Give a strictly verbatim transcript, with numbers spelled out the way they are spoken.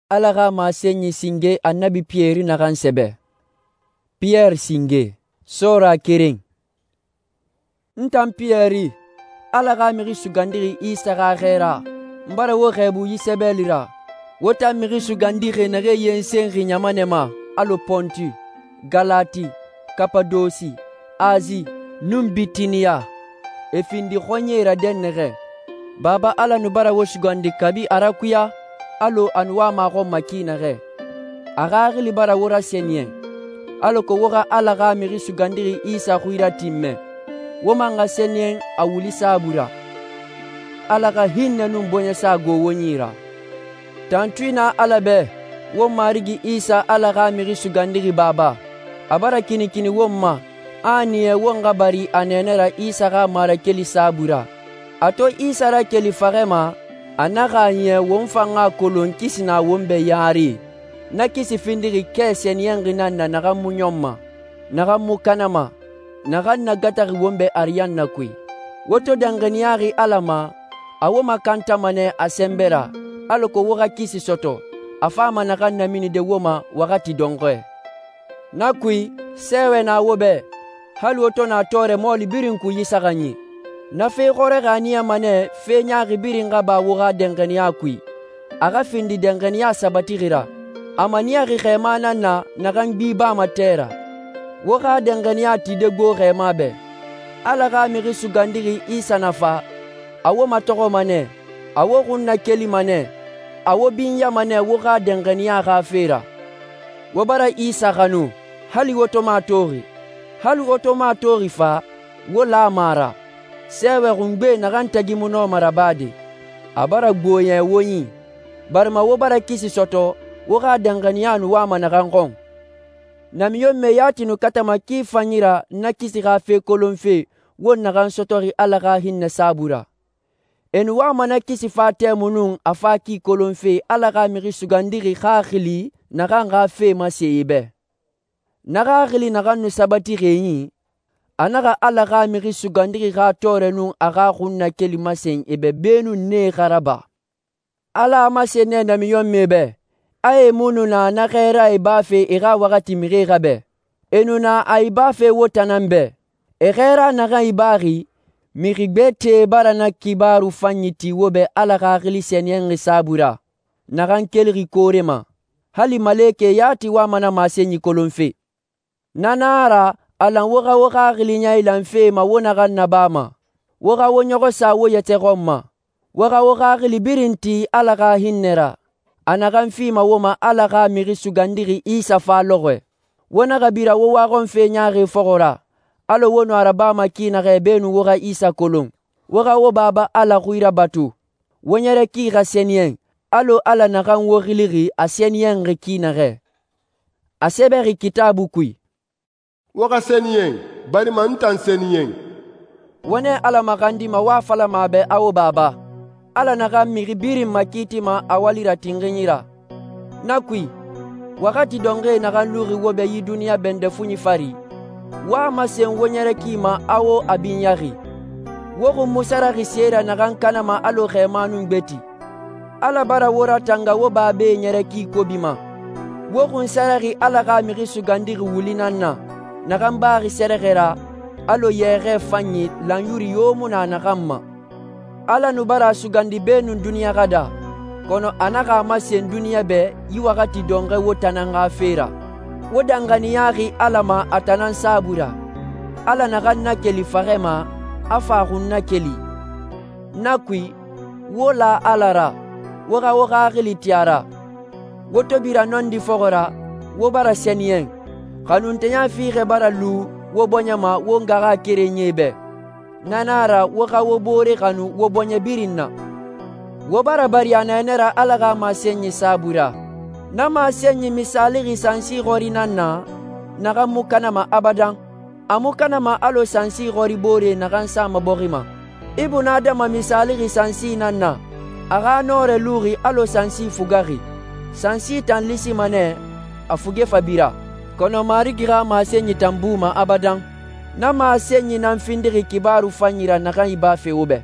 Ala xa masenyi singe Annabi Piyɛri naxan sɛbɛ. Piyɛri singe, sɔɔra keren. N tan Piyɛri, Ala xa Mixi Sugandixi Isa xa xɛɛra, n bara wo xɛɛbu yi sɛbɛli ra. Wo tan mixi sugandixie naxee yensenxi ɲamanɛ ma alɔ Pɔnti, Galati, Kapadosi, Asi, nun Bitiniya. E findi xɔɲɛe ra dɛnnaxɛ. Baba Ala nu bara wo sugandi kabi a rakuya, alɔ a nu wama a xɔn ma ki naxɛ. A xaxili bara wo rasɛniyɛn, alako wo xa Ala xa Mixi Sugandixi Isa xui ratinmɛ. Wo man xa sɛniyɛn a wuli saabui ra. Ala xa hinnɛ nun bɔɲɛsa gbo wo yi ra. Tantui na Ala bɛ, won Marigi Isa Ala xa Mixi Sugandixi Baba. A bara kinikini won ma, a a niya won xa bari a nɛɛnɛ ra Isa xa marakeli saabui ra. A to Isa rakeli faxɛ ma, a naxa a niya won fan xa kolon kisi na won bɛ yare. Na kisi findixi kɛ sɛniyɛnxi nan na naxan mu ɲɔnma, naxan mu kanama, naxan nagataxi won bɛ ariyanna kui. Wo to danxaniyaxi Ala ma, a wo makantama nɛ a sɛnbɛ ra, alako wo xa kisi sɔtɔ, a fama naxan naminide wo ma waxati dɔnxɔɛ. Na kui, sɛɛwɛ na wo bɛ, hali wo to na tɔɔrɛ mɔɔli birin kui yi saxanyi. Na fe xɔrɛxi a niyama nɛ fe ɲaaxi birin xa ba wo xa danxaniya kui, a xa findi danxaniya sabatixi ra. A maniyaxi xɛɛma nan na naxan gbi bama tɛ ra. Wo xa danxaniya tide gbo xɛɛma bɛ. Ala xa Mixi Sugandixi Isa na fa, a wo matɔxɔma nɛ, a wo xun nakelima nɛ, a wo binyama nɛ wo xa danxaniya xa fe ra. Wo bara Isa xanu, hali wo to mu a toxi. Hali wo to mu a toxi fa, wo lama a ra. Sɛɛwɛ xungbe naxan tagi mu nɔma rabade, a bara gboɲɛ wo yi, barima wo bara kisi sɔtɔ, wo xa danxaniya nu wama naxan xɔn. Namiɲɔnmɛ yati nu katama ki fanyi ra na kisi xa fe kolonfe won naxan sɔtɔxi Ala xa hinnɛ saabui ra. E nu wama na kisi fa tɛmui nun a fa ki kolonfe Ala xa Mixi Sugandixi xaxili naxan xa fe mase e bɛ. Na xaxili naxan nu sabatixi e yi, a naxa Ala xa Mixi Sugandixi xa tɔɔrɛ nun a xa xunnakeli masen e bɛ beenun nee xa raba. Ala a masen nɛ namiɲɔnmɛe bɛ, a e mu nu na na xɛɛra ibafe e xa waxati mixie xa bɛ. E nu na a ibafe wo tan nan bɛ. E xɛɛra naxan ibaxi, mixi gbɛtɛe bara na kibaru fanyi ti wo bɛ Ala Xaxili Sɛniyɛnxi saabui ra, naxan kelixi koore ma. Hali malekɛ yati wama na masenyi kolonfe. Na nan a ra, a lan wo xa wo xaxili ɲailanfe ma wo naxan nabama. Wo xa wo ɲɔxɔ sa wo yɛtɛ xɔn ma. Wo xa wo xaxili birin ti Ala xa hinnɛ ra, a naxan fima wo ma Ala xa Mixi Sugandixi Isa fa lɔxɔɛ. Wo naxa bira wo waxɔnfe ɲaaxi fɔxɔ ra, alɔ wo nu a rabama ki naxɛ beenun wo xa Isa kolon. Wo xa wo Baba Ala xui rabatu. Wo ɲɛrɛ ki xa sɛniyɛn, alɔ Ala naxan wo xilixi a sɛniyɛnxi ki naxɛ. A sɛbɛxi Kitaabu kui, wo xa sɛniyɛn, barima n tan sɛniyɛn. Wo nɛ Ala maxandima wo a falama a bɛ a wo Baba, Ala naxan mixi birin makiitima a wali ra tinxinyi ra. Na kui, waxati dɔnxɔɛ naxan luxi wo bɛ yi duniɲa bɛndɛ fuɲi fari, wo a masen wo ɲɛrɛ ki ma a wo a binyaxi. Wo xun mu saraxi se ra naxan kanama alɔ xɛɛma nun gbeti. Ala bara wo ratanga wo babae ɲɛrɛ ki kobi ma. Wo xun saraxi Ala xa Mixi Sugandixi wuli nan na, naxan baxi sɛrɛxɛ ra, alɔ yɛxɛ fanyi lanyuri yo mu na naxan ma. Ala nu bara a sugandi beenun duniɲa xa da, kɔnɔ a naxa a masen duniɲa bɛ yi waxati dɔnxɔɛ wo tan nan xa fe ra. Wo danxaniyaxi Ala ma a tan nan saabui ra. Ala naxan nakeli faxɛ ma, a fa a xun nakeli. Na kui, wo la Ala ra, wo xa wo xaxili ti a ra. Wo to bira nɔndi fɔxɔ ra, wo bara sɛniyɛn. Xanunteɲa fiixɛ bara lu wo bɔɲɛ ma wo ngaxa kerenyie bɛ. Na nan a ra wo xa wo boore xanu wo bɔɲɛ birin na. Wo bara bari a nɛɛnɛ ra Ala xa masenyi saabui ra. Na masenyi misaalixi sansi xɔri nan na, naxan mu kanama abadan. A mu kanama alɔ sansi xɔri boore naxan sama bɔxi ma. Ibunadama misaalixi sansi nan na, a xa nɔɔrɛ luxi alɔ sansi fugaxi. Sansi tan lisima nɛ, a fuge fa bira. Kɔnɔ Marigi xa masenyi tan buma abadan. Na masenyi nan findixi kibaru fanyi ra naxan ibafe wo bɛ.